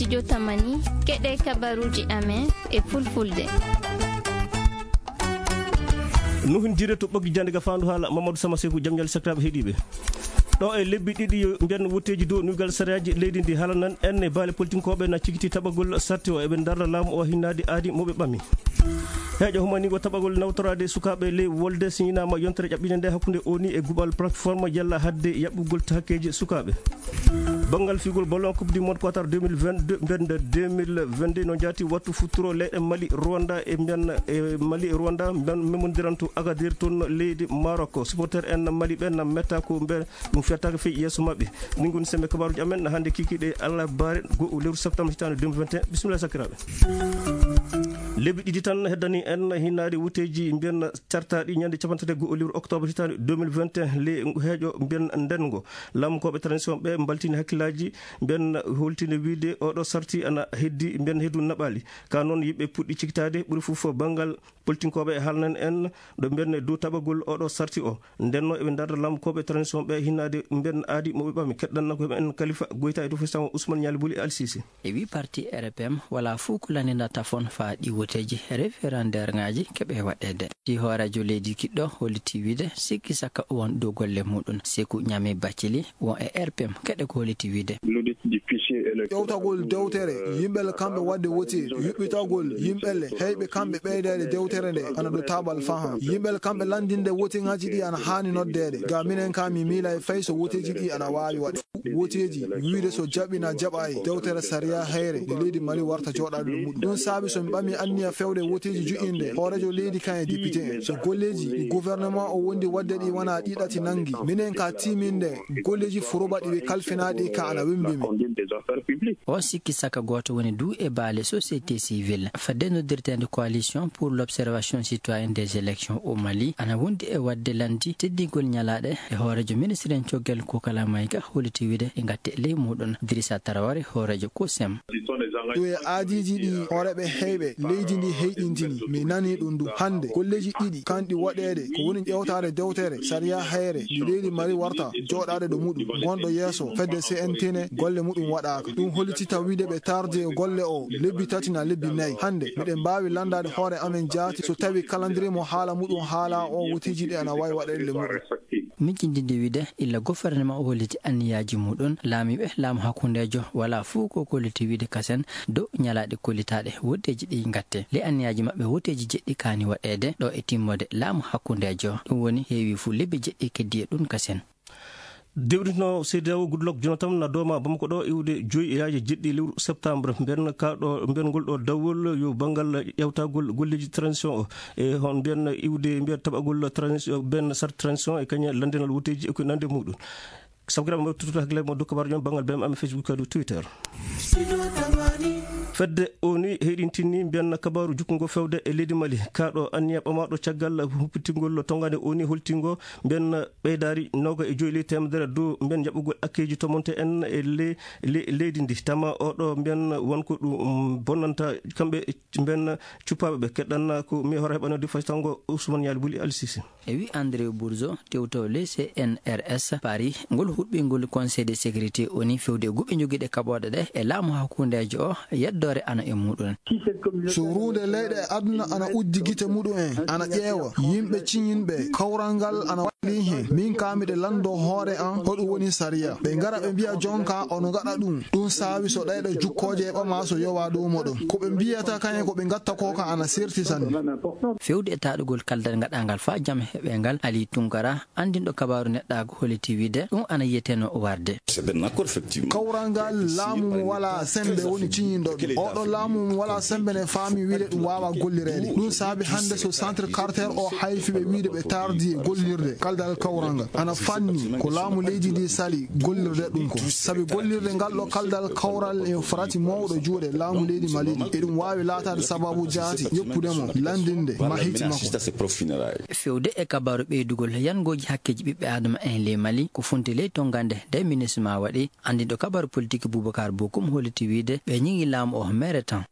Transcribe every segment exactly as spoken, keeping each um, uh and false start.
Studio Tamani, keɗe kabaruuji amen e fulfulde. Nuhin jire to ɓoggi jande ga fandu hala Mamadou Sama Seku, jam ñal sakiraɓe heɗiɓe. Ɗo e lebbi ɗiɗi yo mbiyan wotteji dow nuygal sariyaji leydi ndi, halanan en e baale politinkoɓe na cigiti taɓagol sarti o eɓe darra laamu o hinnade aadi mo ɓe ɓami. Heeƴo humanigo taɓagol nawtorade sukaɓe ley wolde siñinama yontere ƴaɓɓinde nde hakkunde O N U e guɓal plateforme yalla hadde yaɓɓugol hakkeji sukaɓe. Banngal figol ballon Coupe du Monde Qatar deux mille vingt-deux, mbiyan deux mille vingt-deux no jaati wattu futturo leyɗe Mali, Rwanda e mbiyan, e Mali e Rwanda mbiyan memondirantu Agadir toon leydi Maroc. Supporter en Mali ɓen na metta ko mbiyan ɗum fettaka fey yeeso maɓɓe. Ɗin ngoni sembe kabaruji amen hannde kikiɗe Allah bare go lewru septembre hitande deux mille vingt et un. Bisimilla sakiraɓe. Lebbi ɗiɗi tan heddani en hinnaade wuteeji mbiyan cartaaɗi ñande cappanɗe tati e go'o lewru octobre hitaande deux mille vingt et un, le heeƴo mbiyan ndengo. Laamukooɓe transition ɓe mbaltini hakkillaji mbiyan holtini wiide oɗo sarti ana heddi mbiyan heddu naɓaali. Ka noon yimɓe puɗɗi cikitaade ɓuri fof banngal politinkooɓe e haalnan en ɗo mbiyan e dow taɓagol oɗo sarti o. Ndenno eɓe darda laamukooɓe transition ɓe hinnaade mbiyan aadi mo ɓe ɓami. Keɗɗanna ko en Kalifa Goyta e dow Ousmane Ñaali Buli Alsisi. E wi parti R P M, wala fuu ko lanndinta tafon faa ɗi woteeji référendaire ŋaaji keɓe waɗeede. Ɗi hooreejo leydi kiɗɗo holliti wiide sikki sakka o won dow golle muɗum. Seku Ñaami Baccili won e R P M keɗe ko holliti wiide. Ƴewtagol dewtere, yimɓe le kamɓe waɗde wote, yuɓɓitagol yimɓe le, heyɓe kamɓe ɓeydeede dewtere nde, ana ɗo taabal faha. Yimɓe le kamɓe lanndinde wote ŋaaji ɗi ana haani noddeede. Ga minen ka mi miila e fay so woteeji ɗi ana waawi waɗe. Woteeji, wiide so jaɓi na jaɓaay, dewtere sariya heyre nde leydi Mali warta jooɗaade ɗo muɗum. Ɗum saabi so mi ɓami anniya fewde woteeji juɗɗinde, hooreejo leydi kan e député en. So golleeji ɗi gouvernement o wondi waɗde ɗi wona ɗi ɗati nanngi. Minen ka tiiminde golleeji furoba ɗi ɓe kalfinaaɗi ka ana wembi mi. O sikki saka gooto woni du e baale société civile. Fedde noddirteende Coalition pour l'Observation Citoyenne des Élections au Mali ana wondi e waɗde lanndi teddingol ñalaaɗe e hooreejo ministre en coggal Kokala Mayga holliti wiide e ngatte ley muɗum. Dirisa Taraware hooreejo Kosem. Ɗum e aadiiji ɗi hooreeɓe heyɓe leydi ndi heyɗintini. Mi nani ɗum du. Hannde golleeji ɗiɗi kanɗi waɗeede ko woni ƴewtaade dewtere sariya heyre ndi leydi Mali warta jooɗaade ɗo muɗum. Gonɗo yeeso fedde C N T ne golle muɗum waɗaaka. Ɗum holliti taw wiide ɓe tarde e golle o lebbi tati na lebbi nayi. Hannde miɗen mbaawi lanndaade hoore amen jaati so tawi kalandire mo haala muɗum haala o woteeji ɗi ana waawi waɗeede le muɗum. Miijindiinde wiide illa gouvernement o holliti anniyaaji muɗum, laamiiɓe laamu hakkundeejo wala fuu ko kolliti wiide kasen dow ñalaaɗe kollitaaɗe woteeji ɗi ngatte. Le anniyaaji maɓɓe woteeji jeɗɗi kaani waɗeede ɗo e timmoode laamu hakkundeejo. Ɗum woni heewi fuu lebbi jeɗɗi keddi e ɗum kasen. Dewrino C D A O Goodluck Jonathan na dooma Bamako ɗo iwde joyi e yaaji jeɗɗi lewru septembre. Mbiyan ka ɗo, mbiyan ngol ɗo dawol yo banngal ƴewtagol golleeji transition o. E hon mbiyan iwde mbiyan taɓagol transition, mbiyan sart transition e kaña lanndenal woteeji e ko nande muɗum. Sabgiraɓe mo tuttude hakkille mo dow kabaruji on banngal B M M Facebook kadi Twitter. Fedde O N U heyɗintini mbiyan kabaru jukkungo fewde e leydi Mali. Ka ɗo anniya ɓamaɗo caggal huppitingol tongande O N U holtingo mbiyan ɓeydaari noga e joyi ley temedere dow mbiyan jaɓɓugol hakkeeji tomonte en e le-, le-, leydi ndi. Tama oɗo mbiyan won ko ɗum bonnanta kamɓe mbiyan cuppaaɓe ɓe. Keɗɗan ko mi hora heɓanode faytango Ousmane Ñaali Buli Alsisi. E wi André Bourzo, tewtowo le C N R S Paris, ngol huɓɓingol Conseil de sécurité O N U fewde e guɓe jogiiɗe kaɓooɗe ɗe e laamu hakkundeejo o, yeddoore ana e muɗum. So ruunde leyɗe e aduna ana uddi gite muɗum en, ana ƴeewa yimɓe ciñinɓe, kawral ngal ana waɗi heen. Min ka miɗe lanndo hoore an, hoɗum woni sariya. Ɓe ngara ɓe mbiya jonka ono ngaɗa ɗum. Ɗum saawi so ɗeyɗo jukkooje e ɓama so yowa dow moɗon. Ko ɓe mbiyata kañe ko ɓe ngatta ko ka ana serti sanne. Fewde e taɗugol kaldal ngaɗangal faa jam heɓe ngal, Ali Tunkara, anndinɗo kabaaru neɗɗaagu holliti wiide ɗum ana yiyeteno warde. Kawral ngal laamu mo wala sembe woni ciñinɗo ɗum. Oɗo laamu mo wala sembe ne faami wiide ɗum waawa gollireede. Ɗum saabi hannde so Centre Carter o hayfi ɓe wiide ɓe tardi e gollirde kaldal kawral ngal. Ana fanni ko laamu leydi ndi sali gollirde ɗum ko. Sabi gollirde ngal ɗo kaldal kawral e farati mawɗo juuɗe laamu leydi Mali ndi. E ɗum waawi laataade sababu jaati yoppude mo lanndinde mahiti makko. Fewde e kabaaru ɓeydugol yangooji hakkeeji ɓiɓɓe Aadama en ley Mali, ko funti ley tonngande nde MINUSMA waɗi, anndinɗo kabaaru politik Boubacar Bokoum holliti wiide ɓe ñiŋi laamu o mere tan.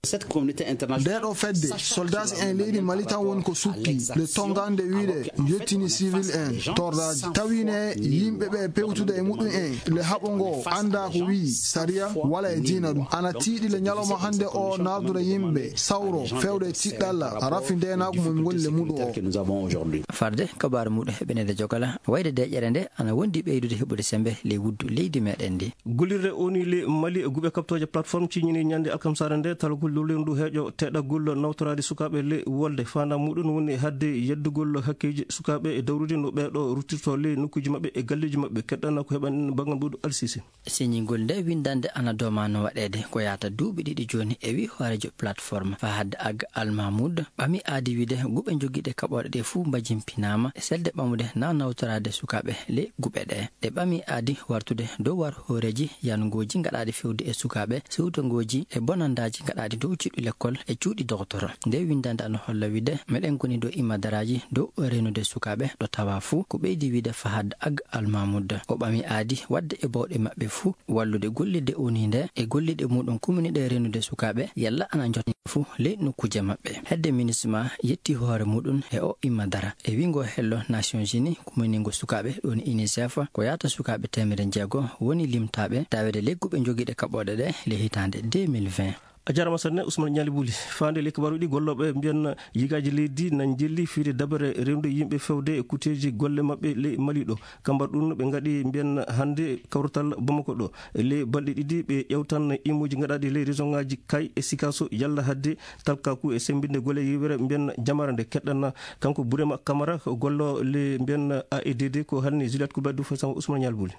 Nde ɗo fedde, soldats en leydi Mali tan woni ko suppi le tongande wiide yettini civil en tordaaji. Tawi ne yimɓe ɓe pewtude e muɗum en le haɓo ngo annda ko wi'i sariya wala e diina ɗum. Ana tiiɗi le ñalawma hannde o naadude yimɓe sawro fewde e tiɗɗalla rafi ndeenaagu mo min ngoni le muɗum o. Farde kabaru muɗum heɓenede jogala wayde deƴƴere nde ana wondi ɓeydude heɓude sembe ley wuddu leydi meɗen ndi. Gollirde O N U le Mali e guɓe kaɓtooje plateforme ciññini ñande alkamsaare nde talagol lowleeru ndu heeƴo teɗagol nawtoraade sukaaɓe le wolde. Faandaare muɗum woni haɗde yeddugol hakkeeji sukaaɓe e dawrude no ɓeeɗo ruttirto le nokkuuji maɓɓe e galleeji maɓɓe. Keɗɗana ko heɓanen banngal mbuɗu Alsise. Siñingol nde winndannde ana dooma no waɗeede ko yaata duuɓi ɗiɗi jooni, e wi hooreejo plateforme Fahad Ag Al Mahmoud ɓami aadi wiide guɓe jogiiɗe kaɓooɗe ɗe fuu mbajimpinaama e selde ɓamude na nawtoraade sukaaɓe le guɓe ɗe. Ɗe ɓami aadi wartude dow war hooreeji yanngooji gaɗaaɗi fewde e sukaaɓe, siwtongooji e bonandaaji gaɗaaɗi dow cuuɗi lekkol e cuuɗi doktoro. Nde winndannde ana holla wiide meɗen ngoni dow imadaraaji dow reenude sukaaɓe ɗo tawa fuu. Ko ɓeydi wiide Fahad Ag Al Mahmoud. O ɓami aadi waɗde e bawɗe maɓɓe fuu wallude gollirde O N U nde e gollirɗe muɗum kuminiɗe reenude sukaaɓe yalla ana njotni fuu ley nokkuuje maɓɓe. Hedde MINUSMA yetti hoore muɗum e o imma dara e wingo hello Nations Unies kuminingo sukaaɓe ɗon UNICEF ko yaata sukaaɓe teemere jeego woni limtaaɓe taweede ley guɓe jogiiɗe kaɓooɗe ɗe ley hitaande deux mille vingt. A jarama sanne Ousmane Ñaali Buli. Faande ley kabaruɗi gollooɓe mbiyan yigaaji leydi na njelli fiide dabere rewde yimɓe fewde e kuteeji golle maɓɓe ley Mali ɗo. Kambar ɗum ɓe ngaɗi mbiyan hannde kawrutal Bamako ɗo. Ley balɗe ɗiɗi ɓe ƴewtan imuuji gaɗaaɗi ley région ngaji Kay e Sikaso yalla hadde talkaku e sembinde golle yiwere mbiyan jamara nde keɗɗana kanko Burema Kamara ko gollo le mbiyan A E D D ko halni Juliette Koulibaly du Faysal Ousmane Ñaali Buli.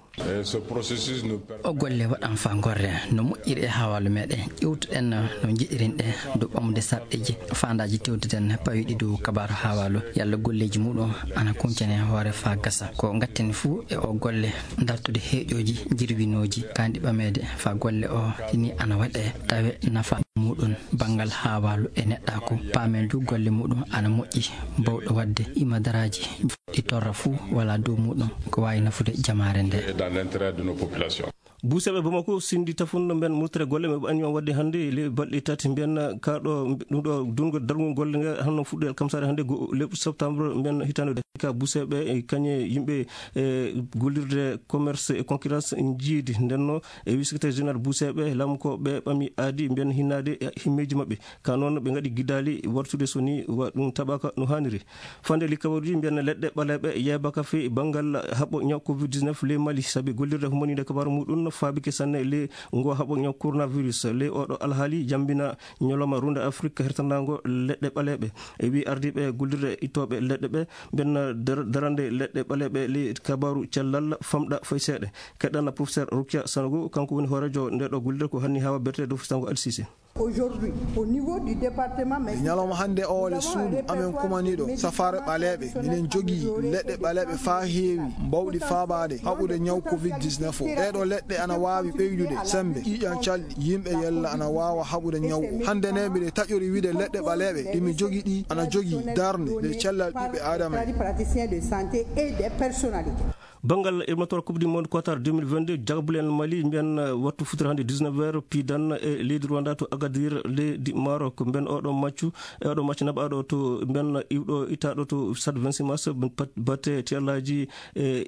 O golle waɗan faa gorre no moƴƴiri e haawaalu meɗen. Ƴewtuɗen no njiɗirinɗe dow ɓamude sarɗeeji faandaaji tewtuɗen pawiɗi dow kabaaru haawaalu yalla golleeji muɗum ana kuncane hoore faa gasa. Ko ngatten fuu e o golle dartude heeƴooji jirwinooji kaandi ɓameede faa golle o hini ana waɗe tawe nafa muɗum banngal haawaalu e neɗɗaaku. Paamen du golle muɗum ana moƴƴi bawɗo waɗde imadaraaji. Ɗi torra fuu wala dow muɗum ko waawi nafude jamaare nde. Buuseeɓe Bamako sindi tafunno mben murtere golle ɓe ɓanni on waɗde hannde le balɗe tati mbiyan kaaɗo ɗum ɗo dungo dargol golle nge hanno fuɗɗo alkamsaare hannde go leɓ septembre mbiyan hitande ka buuseeɓe e kañe yimɓe e gollirde commerce e concurrence jiidi ndenno e wi secrétaire général buuseeɓe laamu ko ɓe ɓami aadi mbiyan hinnaade e himmeeji maɓɓe. Ka noon ɓe ngaɗi giddaali wartude so ni wa ɗum taɓaka no haaniri. Fande li kabaruji mbiyan leɗɗe ɓaleeɓe yeebaka fe banngal haɓo ñaw covid dix-neuf le Mali sabi gollirde humaninde kabaru muɗum faabike sanne le ngo haɓo ñaw coronavirus le oɗo alhaali jambina ñoloma runde Afrique hertandango leɗɗe ɓaleeɓe. E wi ardiiɓe gollirde ittooɓe leɗɗe ɓe mbiyan dar- darande leɗɗe ɓaleeɓe le kabaru cellal famɗa fay seeɗa. Keɗɗana professeur Rukia Sanogo kanko woni hoorejo nde ɗo gollirde ko hanni hawa berte dow fistango Alsise. Aujourd'hui, au niveau du département, mais E ñalawma hannde o le suudu amen kumaniiɗo safaare ɓaleeɓe minen jogii leɗɗe ɓaleeɓe faa heewi mbawɗi faabaade haɓude ñaw covid dix-neuf o. Ɗeeɗo leɗɗe ana waawi ɓeydude sembe ƴiiƴan calɗi yimɓe yella ana waawa haɓude ñaw o. Hannde ne mbiɗe taƴori wiide leɗɗe ɓaleeɓe ɗi mi jogii ɗi ana jogii darnde nde cellal ɓiɓɓe aadama en. Praticien de santé et des personnalités. Banngal éliminatoire Coupe du Monde Qatar deux mille vingt-deux, jagabulen Mali mbiyan wattu futur hannde dix-neuf heures piidan e leydi Rwanda to Agadir leydi Maroc. Mben oɗo maccu e oɗo maccu naɓaɗo to mben iwɗo ittaɗo to stade vingt-six mars bat- batte tiyallaji e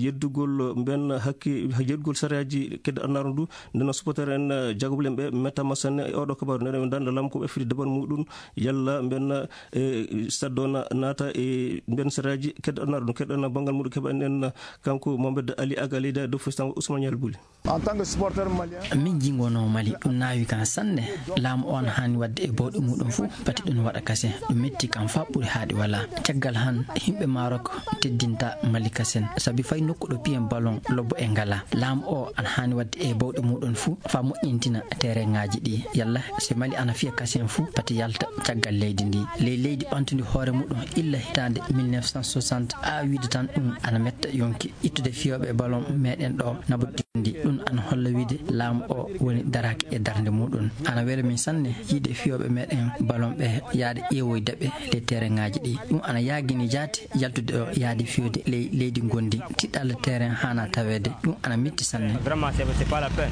yeddugol mben hakke yeddugol sariyaji kedde arnaru ndu. Nden supporter en jagabulen ɓe mettama sanne e oɗo kabaru nene ɓe danda lam ko ɓe firi dabar muɗum yalla mben e stade o na- naata e mbiyan seraaji keɗɗanaaɗo no keɗɗana banngal muɗum keɓa en kanko Mohamed Ali Aga leydi dow fistango Ousmane Yal Buli. En tant que supporter malien, min jingonoo Mali ɗum naawi kan sanne. Laamu o ana haani waɗde e bawɗe muɗum fof pati ɗum waɗa kase. Ɗum metti kam faa ɓuri haaɗi wala caggal han yimɓe Marok teddinta Mali kasen sabi fay nokku ɗo piyen ballon lobbo e ngala. Laamu o ana haani waɗde e bawɗe muɗum fof faa moƴƴintina tereŋaaji ɗi yalla si Mali ana fiya kasen fof pati yalta caggal leydi ndi. Ley leydi ɓantundi hoore muɗum illa hitaande mille neuf cent soixante a wiide tan ɗum ana metta yonki ittude fiyooɓe ballon meɗen ɗo naɓude ndi. Ɗum ana holla wiide laamu o woni daraaki e darnde muɗum. Ana wela min sanne yiide fiyooɓe meɗen ballon ɓe yaade ƴeewoyde ɓe ley tereŋaaji ɗi. Ɗum ana yaagini jaati yaltude ɗo yaade fiyude ley leydi gondi. Tiɗɗalla tereŋ haana taweede. Ɗum ana metti sanne. Vraiment, c'est, c'est pas la peine.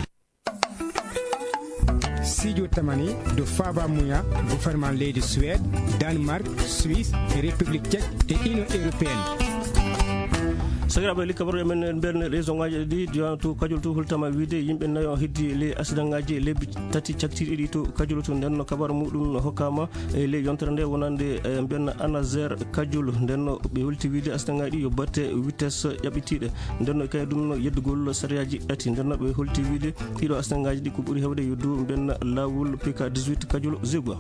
Sijo tamani do faba muya gouvernement leydi Suède, Danemark, Suisse, République Tchèque et Union Européenne. Sakiraaɓe, likka baro men nder région ngaji ɗi, diwan to Kajol to hultama wiide yimɓe nayo heddi le accident ngaji lebbi tati caktiɗi ɗi to Kajol to. Nden no kabar muɗum no hokkama e le yontere nde wonande, eh, mbiyen Anazer Kajol. Nden no ɓe holti wiide accident ngaji ɗi yo batte vitesse ƴaɓɓitiɗe. Nden no kay ɗum no yeddugol sariyaji ɗati. Nden no ɓe holti wiide ɗiɗo accident ngaji ɗi ko ɓuri hewde yo dow mbiyen lawol P K dix-huit Kajol Zegua.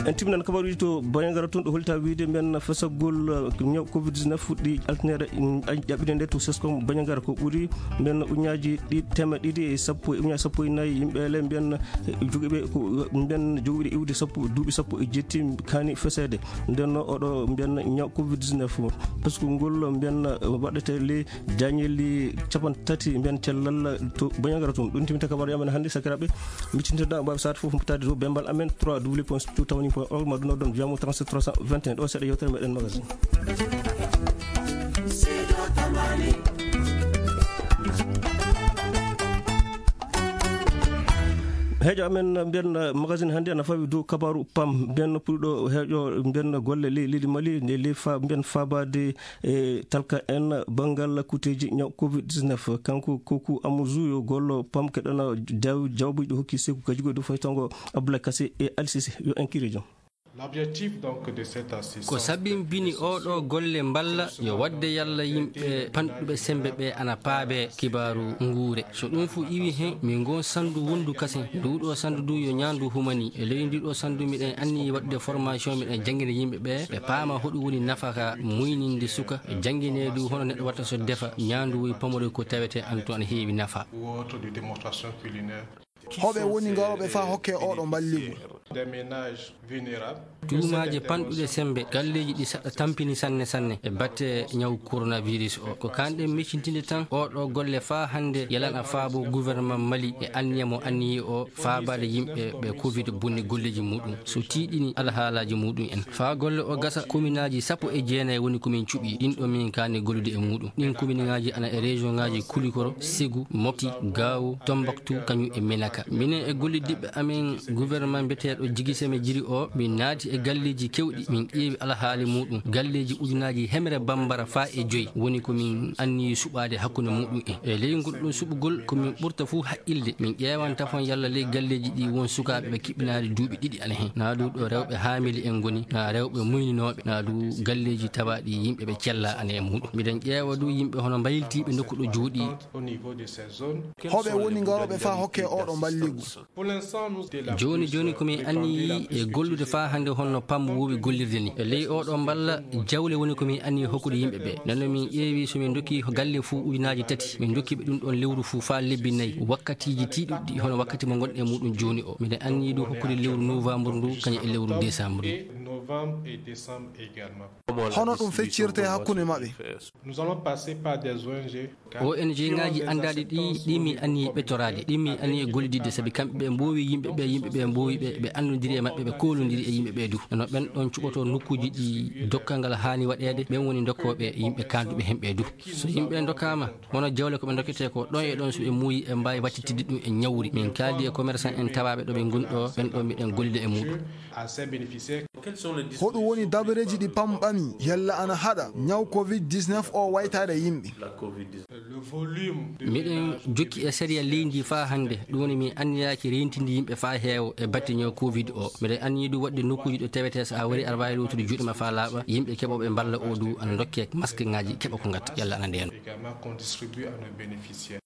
En timminan kabaruuji to Bandiagara toon, ɗo holta wiide mbiyen fesagol, eh, ñaw covid dix-neuf fuɗɗi altinere, mm, ƴaɓɓiɗe nde to Sescom Bandiagara ko ɓuri mbiyen uñaaji ɗi-, teemeɗe ɗiɗi e sappo, uñaaji sappo e nayi yimɓe ele mbiyen, eh, jogiiɓe ko, eh, mbiyen jogiiɓe iwde sappo, duuɓi sappo e jetti kaani feseede. Nden no oɗo mbiyen ñaw covid dix-neuf, parce que ngol mbiyen, eh, waɗete le Dañeli capanɗe tati mbiyen cellal to Bandiagara toon. Ɗum timmita kabaru amen hannde, sakiraaɓe. Miccintoɗaa mbaawi saat fof mbaɗtaade to bembal amen trois W point sitewtawani point org, ma ɗum noddon jaamu trente-sept trois cent vingt et un. Ɗo seeɗa yewtere meɗen magasin. Heejo amen mbiyen magasin hannde ana fawi dow kabaru pam. Mbiyen puɗɗo heejo mbiyen golle le-, leydi Mali, nde le fa-, mbiyen faabaade e talka en banngal kuuteeji ñaw covid dix-neuf. Kanko Koku Amuzu yo gollo pam keɗana jaw-, jawbuji ɗo hokki Seku Kajugo dow faytongo Abdoulaye Kassé e Ali Cissé. Yo en kiire joom. L'objectif donc de cette assistance. Ko sabimbini oɗo golle mballa yo waɗde yalla yimɓe panɗuɓe sembe ɓe ana paabe kibaaru nguure. So ɗum fu iwi hen, min ngon sandu wondu kasen. Nduɗo sandu du yo ñaandu humani. E ley ndiɗo sandu miɗen anni waɗde formation, miɗen janngina yimɓe ɓe, ɓe paama hoɗum woni nafaka muyninde suka. Janngine du hono neɗɗo watta so defa ñaandu woy pamore ko tawete an to ana heewi nafa. Ou autre de démonstration culinaire. Hoɓe woni garooɓe faa hokke oɗo mballigu. Des ménages vulnérables. Tuumaaje panɗuɗe sembe, galleeji ɗi saɗa tampini sanne sanne e batte ñaw coronavirus o. Ko kanɗen miccintinde tan oɗo golle faa hannde yalana faabo gouvernement Mali e anniya mo anniyi o faabaade yimɓe ɓe covid bonni golleeji muɗum. So tiiɗini alhaalaaji muɗum en. Faa golle o gasa, kominaaji sappo e jeenayi woni ko min cuɓi. Ɗin ɗo min kaani gollude e muɗum. Ɗin kominaaji ana e région ngaji Kulikoro, Segu, Mopti, Gaawo, Tombouctou, kañum e Menaka. Minen e golliddiɓe amen gouvernement mbiyeteeɗo Jigi Seme Jiri o, min naati e galleeji kewɗi, min ƴeewi alhaali muɗum. Galleeji ujunaaji hemre bambara faa e joyi woni ko min anniyi suɓaade hakkunde muɗum en. E ley ngol ɗon suɓugol, ko min ɓurta fuu haqqilde. Min ƴeewan tafon yalla ley galleeji ɗi won sukaaɓe ɓe kiɓɓinaali duuɓi ɗiɗi ana hen. Naa du ɗo rewɓe haamili en ngoni, naa rewɓe muyninooɓe, naa du galleeji tawaaɗi yimɓe ɓe cellaa ana e muɗum. Miɗen ƴeewa du yimɓe hono mbayiltiiɓe nokku ɗo jooɗi. Au niveau de ces zones. Hoɓe woni garooɓe faa hokke oɗo mballigu. Jooni jooni ko min anniyi e gollude faa hannde honno pam woowi gollirde ni. E ley oɗo mballa jawle woni ko min anniyi hokkude yimɓe ɓe. Nden no min ƴeewi so min ndokki galle fuu ujunaaji tati, min ndokki ɓe ɗum ɗon lewru fuu faa lebbi nayi. Wakkatiiji tiiɗuɗi hono wakkati mo ngonɗen e muɗum jooni o. Miɗen anniyi du hokkude lewru novembre ndu kañum e lewru décembre. Et novembre et décembre également. Hono ɗum feccirte hakkunde maɓɓe. Nous allons passer par des O N G. O N G ngaji anndaaɗi ɗi, ɗi mi anniyi ɓettoraade, ɗi mi anniyi gollididde, sabi kamɓe ɓe mboowi yimɓe ɓe, yimɓe ɓe mboowi ɓe, ɓe anndondiri e maɓɓe, ɓe koolondiri e yimɓe ɓe du. No ɓen ɗon cuɓotoo nokkuuji ɗi dokkangal haani waɗeede, ɓen woni dokkooɓe yimɓe kaanduɓe heen ɓe du. So yimɓe ndokkaama, hono jawle ko ɓe ndokketee ko, ɗon e ɗon so ɓe muuyi, ɓe mbaawi waɗtitde ɗum e ñawri. Min kaaldi e commerçant en tawaaɓe ɗo ɓe ngoni ɗo, ɓen ɗon miɗen gollida e muɗum. Hoɗum woni dabareeji ɗi pam ɓami, yalla ana haɗa ñaw covid dix-neuf o waytaade yimɓe? Miɗen jokki e sariya leydi faa hannde, ɗum woni min anniyaaki reentinde yimɓe faa heewa e batte ñaw covid o. Miɗen anniyi du waɗde nokkuuji ɗo tawetee so a wari aɗa waawi lootude juuɗe ma faa laaɓa, yimɓe keɓooɓe mballa o du ana ndokkee maskeŋaaji keɓa ko ngatta, yalla ana ndeeno. Également qu'on distribue à nos bénéficiaires.